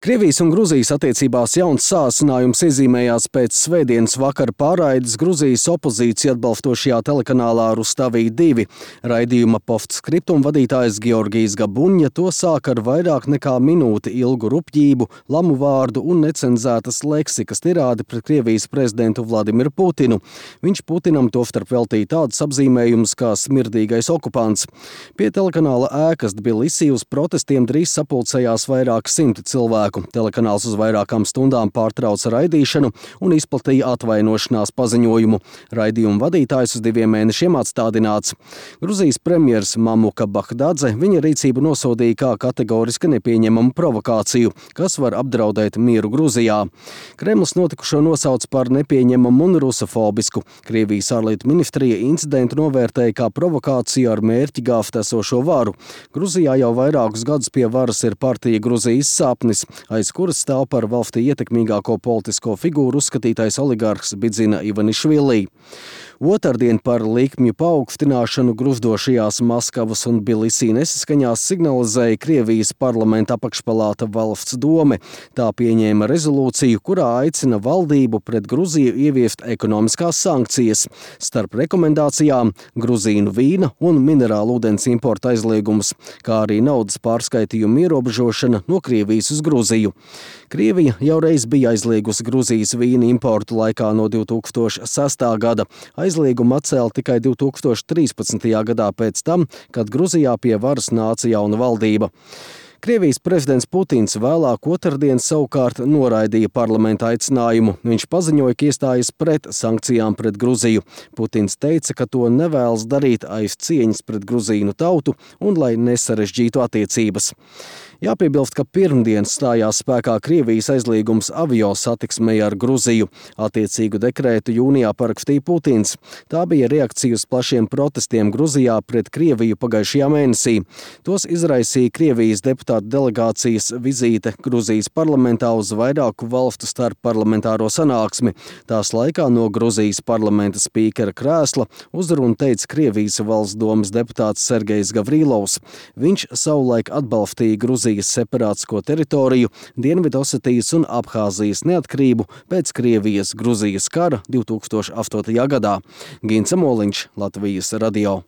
Krievijas un Gruzijas attiecībās jauns sāsinājums iezīmējās pēc svētdienas vakara pārraides Gruzijas opozīciju atbalstošajā telekanālā Rustavī 2. Raidījuma postskriptum vadītājs Georgijs Gabuņa to sāk ar vairāk nekā minūti ilgu rupjību, lamu vārdu un necenzētas leksikas tirādi pret Krievijas prezidentu Vladimiru Putinu. Viņš Putinam tostarp veltīja tādus apzīmējumus kā smirdīgais okupants. Pie telekanāla ēkas Tbilisī uz protestiem drīz sapulcējās vairāk simti cilvēku. Telekanāls uz vairākām stundām pārtrauca raidīšanu un izplatīja atvainošanās paziņojumu. Raidījuma vadītājs uz 2 mēnešiem atstādināts. Gruzijas premjers Mamuka Bahdadze viņa rīcību nosodīja kā kategoriski nepieņemamu provokāciju, kas var apdraudēt mieru Gruzijā. Kremlis notikušo nosauc par nepieņemamu un rusofobisku. Krievijas ārlietu ministrija incidentu novērtēja kā provokāciju ar mērķi gāzt esošo varu. Gruzijā jau vairākus gadus pie varas ir partija Gruzijas sapnis, aiz kuras stāv par valstī ietekmīgāko politisko figūru uzskatītais oligarhs Bidzina Ivanišvili. Otrdien par likmju paaugstināšanu gruzdošajās Maskavas un Tbilisī nesaskaņās signalizēja Krievijas parlamenta apakšpalāta Valsts dome. Tā pieņēma rezolūciju, kurā aicina valdību pret Gruziju ieviest ekonomiskās sankcijas. Starp rekomendācijām Gruzīnu vīna un minerālu ūdens importa aizliegumus, kā arī naudas pārskaitījumu ierobežošana no Krievijas uz Gruziju. Krievija jau reiz bija aizliegusi Gruzijas vīna importu laikā no 2006. gada. Aizliegumu atcēla tikai 2013. gadā pēc tam, kad Gruzijā pie varas nāca jauna valdība. Krievijas prezidents Putins vēlāk otrdien savukārt noraidīja parlamenta aicinājumu. Viņš paziņoja, ka iestājas pret sankcijām pret Gruziju. Putins teica, ka to nevēlas darīt aiz cieņas pret gruzīnu tautu un lai nesarežģītu attiecības. Jāpiebilst, ka pirmdien stājās spēkā Krievijas aizliegums avio satiksmei ar Gruziju. Attiecīgu dekrētu jūnijā parakstīja Putins. Tā bija reakcija uz plašiem protestiem Gruzijā pret Krieviju pagājušajā mēnesī. Tos izraisīja Krievijas deputātu delegācijas vizīte Gruzijas parlamentā uz vairāku valstu starpparlamentāro sanāksmi. Tās laikā no Gruzijas parlamenta spīkera krēsla uzrunu teica Krievijas valsts domes deputāts Sergejs Gavrilovs. Viņš savulaik atbalstīja Gruzijas separātisko teritoriju, Dienvidosetijas un Abhāzijas neatkarību pēc Krievijas-Gruzijas kara 2008. gadā. Gints Amoliņš, Latvijas radio.